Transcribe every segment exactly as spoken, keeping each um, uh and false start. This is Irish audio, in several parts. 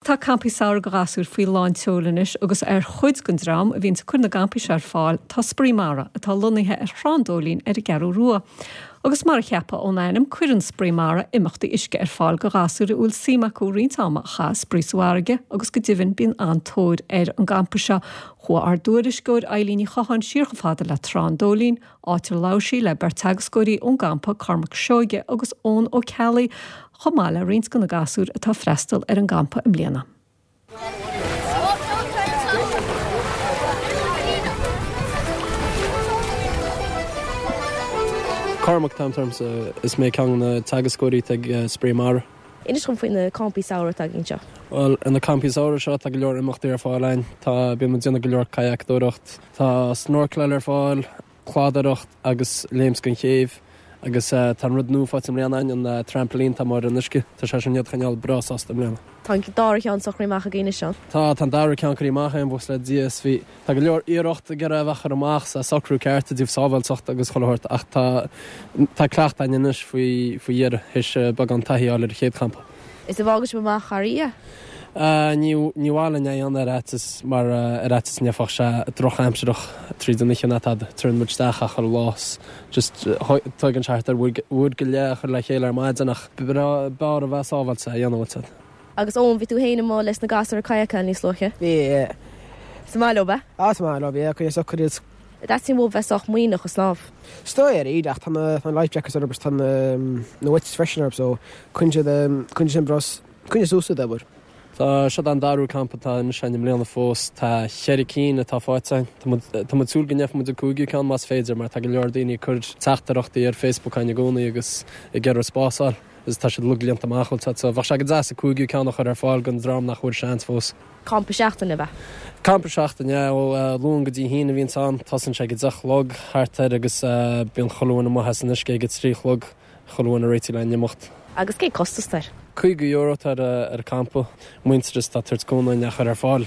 Tá campaí samhraidh do ghasúir faoi lán tseoil anois agus ar chuid den dream a bhíonn ag cur na gcampaí seo ar fáil tá Spraoi Mara atá lonnaithe ar Thrá an Dóilín ar an gCeathrú Rua. Agus mar a cheapfá ón ainm cuireann Spraoi Mara imeachtaí uisce ar fáil do ghasúir a bhfuil suim acu roinnt ama a chaitheamh ag spraoi sa bhfarraige agus go deimhin bíonn an-tóir ar an gcampa seo. Chuaigh ár dtuairisceoir Eilín Ní Chatháin siar chomh fada le Trá an Dóilín, áit ar labhair sí le beirt teagascóirí ón gcampa Cormac Seoige agus Eoin Ó Ceallaigh, chomh maith le roinnt de na gasúir atá ag freastal ar an gcampa i mbliana. Cormac atá ormsa, is mé ceann de na teagascóirí atá ag Spraoi Mara. Inis dom faoi na campaí samhraidh atá agaibh anseo. Bhuel, ar na campaí samhraidh seo tá go leor imeachtaí ar fáil ann. Tá, bíonn muid ag déanamh go leor cadhcadóireacht, tá snorcláil ar fáil, cladaireacht agus léimt den chéibh. Agus tá an rud nua faighte i mbliana againn, an trampoline atá amuigh ar an uisce. Tá sé sin iad a choinneáil breá sásta i mbliana. Tá an dara ceann socraithe amach agaibh anois, Seán? Tá, tá an dara ceann curtha amach againn, buíochas le Dia. Is bhí, tá go leor iarracht ag iarraidh a bheith curtha amach sa socrú ceart i dtaobh sábháilteacht agus chuile shórt ach tá, tá cleachtadh againn anois faoi, faoi dheireadh, théis beagán taithí a fháil ar an chéad champa. Is an bhfágann sibh amach thar oíche? Ní ní mhaith linn é a dhéanamh ar fhaitíos mar ar fhaitíos go ndéanfadh sé drochaimsireach tríd an oíche ná tada. Tabharann muid isteach achan lá 's just tógann sé thart ar uair uair go leith a chur le chéile ar maidin ach b'fhearr a bheith sábháilte é a dhéanamh bhfuil 'fhios a'd. Agus Eoin, bhí tú féin amuigh leis na gasúir ag cadhcáil níos luaithe? Bhí, yeah. Is maith leo, ab ea? Ah, is maith leo, yeah, cuireadh socair iad. An dteastaíonn uathu bheith sách muiníneach ag snámh? Is dóigh ar iad ach tá na tá na life jackets orthu agus tá na na weights freisin orthu so coinníonn siad coinníonn siad bros coinníonn suas iad abair. Tá seo an darú campa atá anois againn i mbliana fós. Tá cheithre cinn atá faighte againn. Tá muid tá muid ag súil go ndéanfaidh muid an cúigiú ceann más féidir mar tá go leor daoine ag cur teachtaireachtaí ar Facebook againn i gcónaí agus ag iarraidh spás a fháil agus tá siad uilig líonta amach bhfuil 'fhios a'd so bheadh sé go deas an cúigiú ceann a chur ar fáil don dream nach bhfuair seans fós. Campa seachtaine ab ea? Campa seachtaine, yeah, ó Luan go dtí hAoine a bhíonns ann. Tosaíonn sé ag a deich a chlog thart air agus bíonn chuile dhuine amuigh as an uisce ag a trí a chlog, chuile dhuine réitithe le n-imeacht. Agus cén costas atá air? Caoga euro atá ar an campa. Muintearas atá ag tabhairt cúnamh dúinn é a chur ar fáil.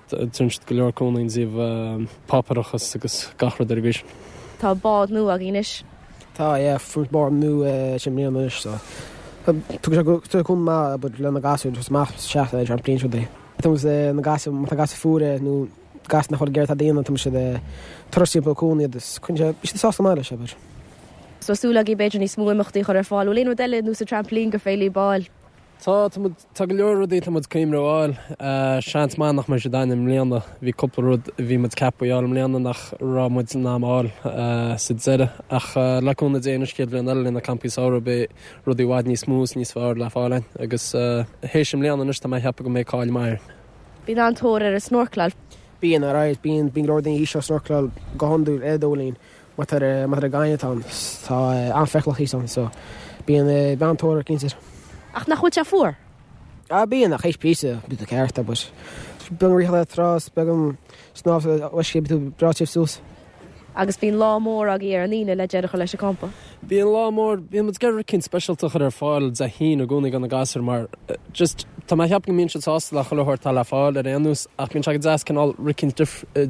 Tugann siad go leor cúnamh i dtaobh páipéarachas agus gach rud ar an gcaoi sin. Tá bád nua agaibh anois. Tá, yeah, fuair muid bád nua i mbliana anois so tugann sé cúnamh maith abair le na gasúir just amach isteach ar an trampoline rudaí. Tá muid na gasúir, má tá gasúir fuara nó gasúir nach bhfuil ag iarraidh tada a dhéanamh tá muid ag turas timpeall an cuan iad is coinníonn sé, bíonn siad sásta maith leis abair. Tá súil agaibh b'fhéidir níos mó imeachtaí a chur ar fáil. Bhfuil aon rud eile anuas an trampoline gur féidir libh a fháil? Tá, tá muid, tá go leor rudaí atá muid ag cuimhneamh a fháil. Seans maith nach mbeidh siad againn i mbliana. Bhí cúpla rud a bhí muid ceaptha a fháil i mbliana nach raibh muid in am a fháil sa deireadh. Ach le cúnamh Dé anois chéad bhliain eile le na campaí samhraidh beidh rudaí i bhfad níos mó is níos fearr le fáil againn. Agus théis i mbliana anois tá mé ag ceapadh go mbeidh cáil maith air. Bíonn an-tóir ar an snorcláil. Bíonn, alright, bíonn, bíonn go leor daoine thíos ag snorcláil go hiondúil ar an Dóilín. Má tá ar má tá ar gaineamh ann tá an-fheiceálach thíos ann so bíonn bíonn an-tóir air cinnte. Ach nach bhfuil sé fuar? Ah bíonn ach théis píosa bíonn tú ceart but beagán rith le trá is beagán snámh sa uisce bíonn tú breá tiubh suas. Agus bíonn lá mór agaibh ar an Aoine le deireadh a chur leis an campa. Bíonn lá mór, bíonn muid ag iarraidh rud eicínt speisialta a chur ar fáil Dé hAoine i gcónaí do na gasúir mar just tá mé ag ceapadh go mbíonn siad sásta le chuile shórt atá le fáil ar aon nós ach bíonn sé go deas cineál rud eicínt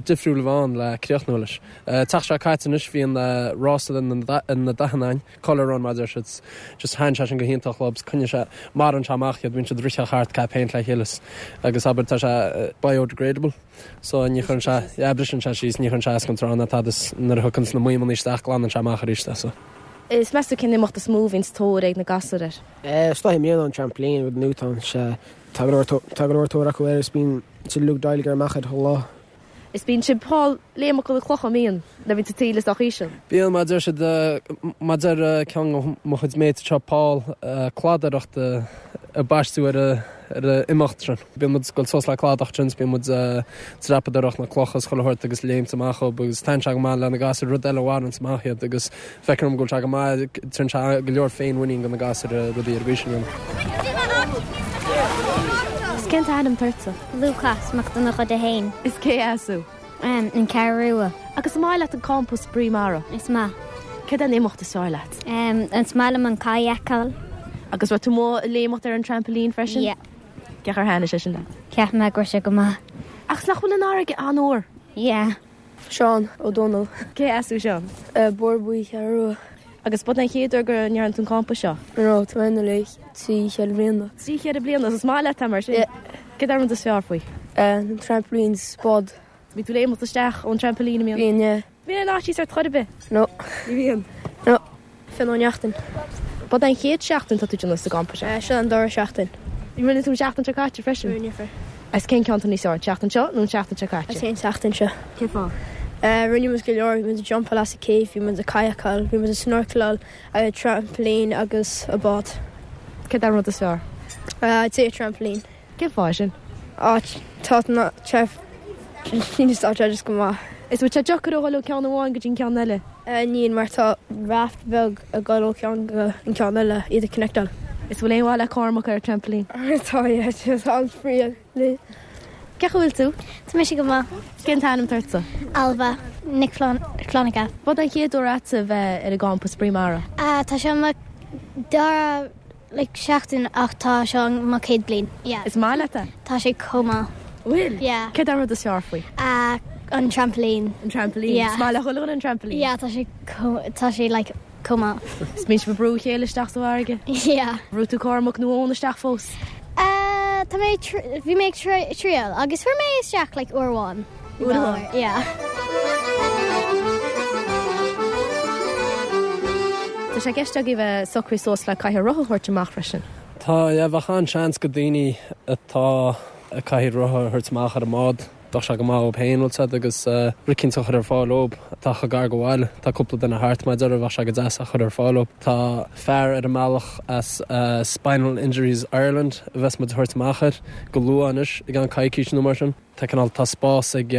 difriúil a bheith ann le críochnú leis. Tseachtain seo caite anois bhí an rása na dathanna ann, colour run mar a deir siad, just thaitin sé sin go hiontach leo, coinníonn sé, maireann sé amach iad, bíonn siad ag rith thart ag caitheamh péint le chéile agus abair tá sé biodegradable so ní chuireann sé, yeah briseann sé síos, ní chuireann sé as don trá ná tada is nuair a thiocfaidh na maidhmeanna isteach glanann sé amach arís é so. Is meas tú cén imeacht is mó a bhíonns tóir ag na gasúir air? Is dóigh i mbliana an trampoline rud nua atá ann, sea tá go leor tá go leor tóir acu air is bíonn siad uilig ag dul amach air chuile lá. Is bíonn sibh ag fáil léimeacha na clocha, an mbíonn, nuair a bhíonn an taoille sách íseal. Bíonn, mar a deir siad, mar a deir ceann de mo chuid mates anseo, Paul, cladaireacht a baisteadh ar an imeacht sin. Bíonn muid ag dul suas le cladach ansin, bíonn muid ag dreapadóireacht na clocha is chuile shórt agus léimt amach dhób agus taitníonn sé go maith le na gasúir, rud eile a mhaireanns amach iad agus feictear dom go bhfuil sé go maith, tugann sé go leor féinmhuinín do na gasúir rudaí ar an gcaoi sin a dhéanamh. Is cén t-ainm atá ortsa? Lúcás Mac Donnchadha a haon. Is cé as thú? An Cheathrú Rua. Agus an maith leat an campa Spraoi Mara? Is maith. Céard é an imeacht is fearr leat? Is maith liom an kayakáil. Agus raibh tú amuigh ag léimeacht ar an trampoline freisin? Yeah. Cén chaoi ar thaitin sé sin leat? Cheap mé go raibh sé go maith. Ach nach bhfuil an fharraige an-fhuar? Yeah. Seán Ó Dónaill. Cé as thú Seán? Bóthar Buí, Ceathrú Rua. Agus ab é an chéad uair go ndearna tú an campa seo? No, tá mé ann le trí cheithre bliana. Trí cheithre bliana, is maith leat é mar sin? Yeah. Céard é an rud is fearr faoi? Uh, trampolines, bád. Bhí tú léimeacht isteach ón trampoline mí? Bhíonn, yeah. Bhíonn an fhaitíos ort chor ar bith? No. Ní bhíonn. No. Fionn Ó Neachtain. Ab é an chéad seachtain tá tú déanamh sa gcampa seo? Uh, seo an dara seachtain. Rinne tú an seachtain seo caite freisin? Rinne. Is cén ceann níos fearr, seachtain seo nó an seachtain seo caite? Is an seachtain seo. Cén fáth? Uh, rinne muid go leor, bhí muid ag jumpáil as an cave, bhí muid ag kayakáil, bhí muid ag snorkeláil, a trampoline agus a bád. Céard é an rud is fearr? Uh, I'd say a trampoline. Cén fáth sin? Á tá na chef tá just go maith. Is bhfuil sé deacair a dhul ó ceann amháin go dtí ceann eile? Uh, Níl mar tá raft bheag ag dul ó ceann go an ceann eile iad ag connectáil. Is bhfuil aon mhaith le Cormac ar trampoline? Tá tá an-spraoi le. Cén chaoi a bhfuil tú? Tá mise go maith. Cén t-ainm atá ortsa? Alba Nic Fhlannchadha. Ab é an chéad uair agat a bheith ar an gcampa Spraoi Mara? Uh, tá seo mo dara like, seachtain ach tá seo mo chéad bliain. Yeah. Is maith leat é? Tá sé chomh maith. Bhfuil? Yeah. Céard é an rud is fearr faoi? Uh, an trampoline. An trampoline. Yeah. Is maith le chuile an trampoline? Yeah, tá sé tá sé like, chomh maith. Is mbíonn sibh ag brú a chéile isteach sa bhfarraige? Yeah. Bhrú tú Cormac nó Eoin isteach fós? Uh, tá mé bhí mé triail agus fuair mé isteach like uair amháin. Uair amháin? Yeah. Tá sé i gceist agaibh bheith socraithe suas le cathaoir rotha a thabhairt amach freisin. Tá yeah, bheadh an-seans go daoine atá ag cathaoir rotha a thabhairt amach ar an mbád. Bheadh sé go maith dóibh féin bhfuil siad agus rud eicínt a chur ar fáil dóibh. Tá chomh gar go bhaile, tá cúpla duine thart mar deir bheadh sé go deas a chur ar fáil dóibh. Tá fear ar an mbealach as Spinal Injuries Ireland a bheas muid a thabhairt amach air go luath anois i gceann coicís nó mar sin. Tá cineál tá spás ag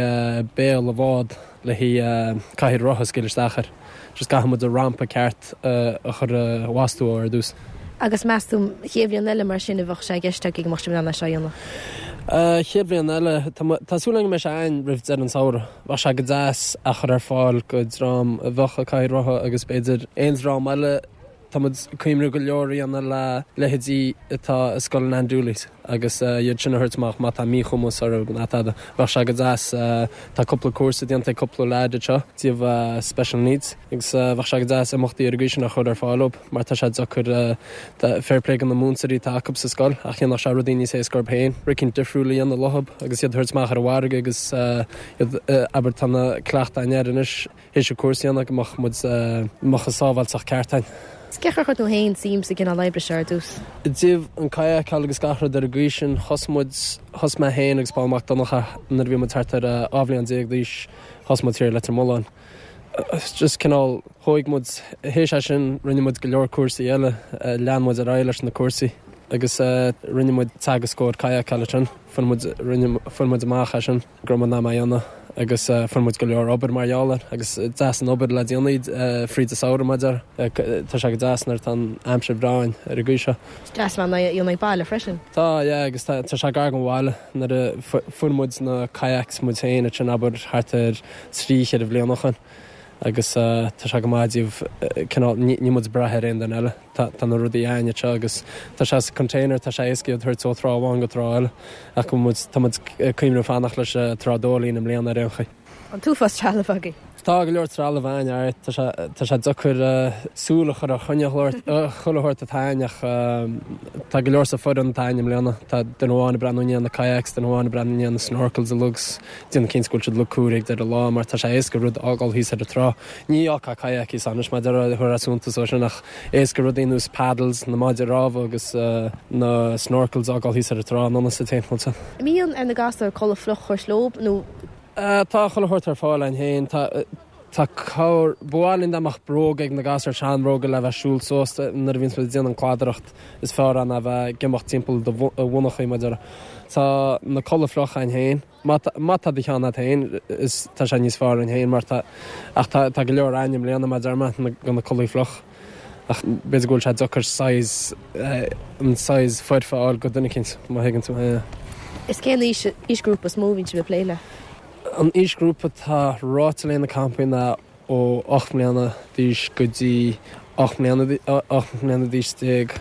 béal an bháid le haghaidh cathaoir rotha a scaoileadh isteach air. Just caithfidh muid an rampa ceart a chur a bhastú ar dtús. Agus meas tú chéad bhliain eile mar sin a bheadh sé i gceist agaibh go mbeadh sibh in ann é seo a dhéanamh? Chéad bhliain eile, tá súil agam go mbeidh sé ann roimh deireadh an samhradh. Bheadh sé go deas a chur ar fáil go dream a bheadh ag cathaoir rotha agus b'fhéidir aon dream eile. Tá muid ag cuimhniú go leor a dhéanamh le leithéidí atá i scoil an Dooley's agus iad sin a thabhairt amach má tá míchumas orthu nó tada. Bheadh sé go deas, tá cúpla cúrsa déanta ag cúpla leaid anseo díobh special needs agus bheadh sé go deas imeachtaí ar an gcaoi sin a chur ar fáil dóibh mar tá sé deacair fair play do na múinteoirí atá acu sa scoil ach dhéanfadh sé rudaí níos éasca orthu féin. Rud eicínt difriúil a dhéanamh leothab agus iad a thabhairt amach ar an bhfarraige agus iad abair tá na cleachtaí air anois théis an cúrsa a dhéanamh go mbeadh muid mbeadh an sábháilteacht ceart ann. Cén chaoi ar chuir tú féin suim sa gcineál oibre seo ar dtús? I dtaobh an kayakáil agus gach rud ar an gcaoi sin, thosaigh muid, thosaigh mé féin agus Paul Mac Donncha nuair a bhí muid thart ar dhá bhliain déag d'aois, thosaigh muid thiar i Leitir Mealláin. Just cineál, thóig muid, théis é sin rinne muid go leor cúrsaí eile, lean muid ar aghaidh leis na cúrsaí agus rinne muid teagascóir kayakála ansin, fuair muid, rinne, fuair muid amach é sin go raibh muid in ann é a dhéanamh. Agus fuair muid go leor obair mar gheall air agus deas an obair le déanamh fríd an samhradh mar deir. Tá sé go deas nuair atá an aimsir bhreá ann ar an gcaoi seo. Is deas a bheith in ann ag baile freisin. Tá, yeah, agus tá sé gar don bhaile nuair a fuair muid na kayaks muid féin ansin abair thart ar trí cheithre bhliain ó shin agus tá sé go maith díobh cineál níl muid ag brath ar aon duine eile. Tá tá na rudaí againn anseo agus tá sé sa container, tá sé éasca iad a thabhairt ó thrá amháin go trá eile ach go muid tá muid ag cuimhneamh fanacht leis Trá Dóilín i mbliana ar aon chaoi. An t-uafás trealamh agaibh? Tá go leor trealamh againn, alright. Tá sé tá sé deacair súil a chur ar chuile chuile shórt atá againn ach tá go leor sa foireann atá againn i mbliana. Tá duine amháin ag breathnú i ndiaidh na kayaks, duine amháin ag breathnú i ndiaidh na snorkels uilig 's déanamh cinnte go bhfuil siad uilig cóirithe ag deireadh an lá mar tá sé éasca rud a fhágáil thíos ar an trá. Ní fhágfá kayak thíos anois mar deir chuir suntas ó sin ach éasca rudaí ar nós paddles, na maidí rámha agus na snorkels a fhágáil thíos ar an trá anonn is timpeall sa. An mbíonn ar na gasúir culaith fhliuch a thabhairt leo nó Tá chuile shórt ar fáil againn féin. Tá tá cabhair, ba mhaith linn dá mbeadh bróga ag na gasúir, seanbhróga le bheith siúl suas nuair a bhíonns muid ag déanamh an cladaireacht. Is fearr é ná bheith ag imeacht timpeall do bhonnachaí mar deir. Tá na culaith fliuch againn féin. Má tá má tá do cheann agat féin is tá sé níos fearr againn féin mar tá ach tá tá go leor againn i mbliana mar deir mé na go na culaith fliuch. Ach b'fhéidir go bhfuil sé deacair size an size foirfe a fháil go duine eicínt má thuigeann tú mé. Is cén aois aoisghrúpa is mó a bhíonn sibh ag plé le? An aoisghrúpa atá ráite le na campaí ná ó ocht mbliana d'aois go dtí ocht mbliana ocht mbliana d'aois déag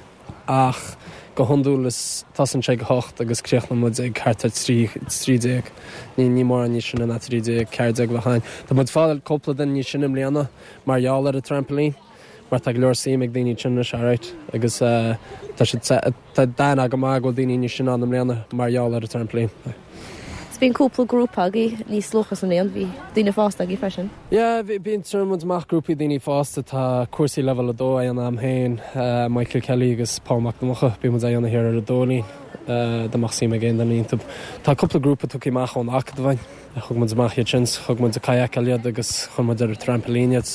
ach go hiondúil is tosaíonn sé ag hocht agus críochnaíonn muid ag thart ar trí trí déag. Ní ní mórán níos sine ná trí déag, ceathair déag bheadh ann. Tá muid ag fáil cúpla duine níos sine i mbliana mar gheall ar an trampoline Mar tá go leor suim ag daoine sin anois alright agus tá siad tá dath go maith go bhfuil daoine níos sine ann i mbliana mar gheall ar an trampoline. 'S bíonn cúpla grúpa agaibh níos luaithe sa mbliain, bhí daoine fásta agaibh freisin. Yeah, bíonn tugann muid amach grúpaí daoine fásta tá cúrsaí leibhéal a dó á dhéanamh agam féin, Michael Kelly agus Paul Mac Donncha, bíonn muid á dhéanamh thiar ar an Dóilín dá mbeadh suim ag aon duine iontu. Tá cúpla grúpa tugtha amach ón Acadamh againn, thug muid amach iad sin, thug muid ag kayakáil iad agus chuir muid ar an trampoline iad.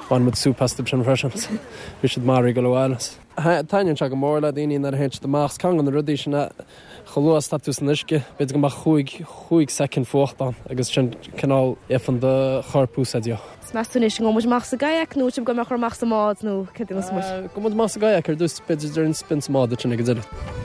Bhain muid súp astu sin freisin. Bhí siad maraithe go leor. Taitníonn sé go mór le daoine nuair a théann siad amach, ceann de na rudaí sin chomh luath is atá tú san uisce, b'fhéidir go mbeadh chúig chúig soicind fuacht ann agus sin cineál éifean do chorp úsáid. 'S meas tú anois an ngabhfaidh muid amach sa gkayak nó sibh go mbeadh amach sa mbád nó cad é muid? Gabhfaidh muid amach sa gkayak ar dtús b'fhéidir déarfainn spin sa mbád sin ag an deireadh.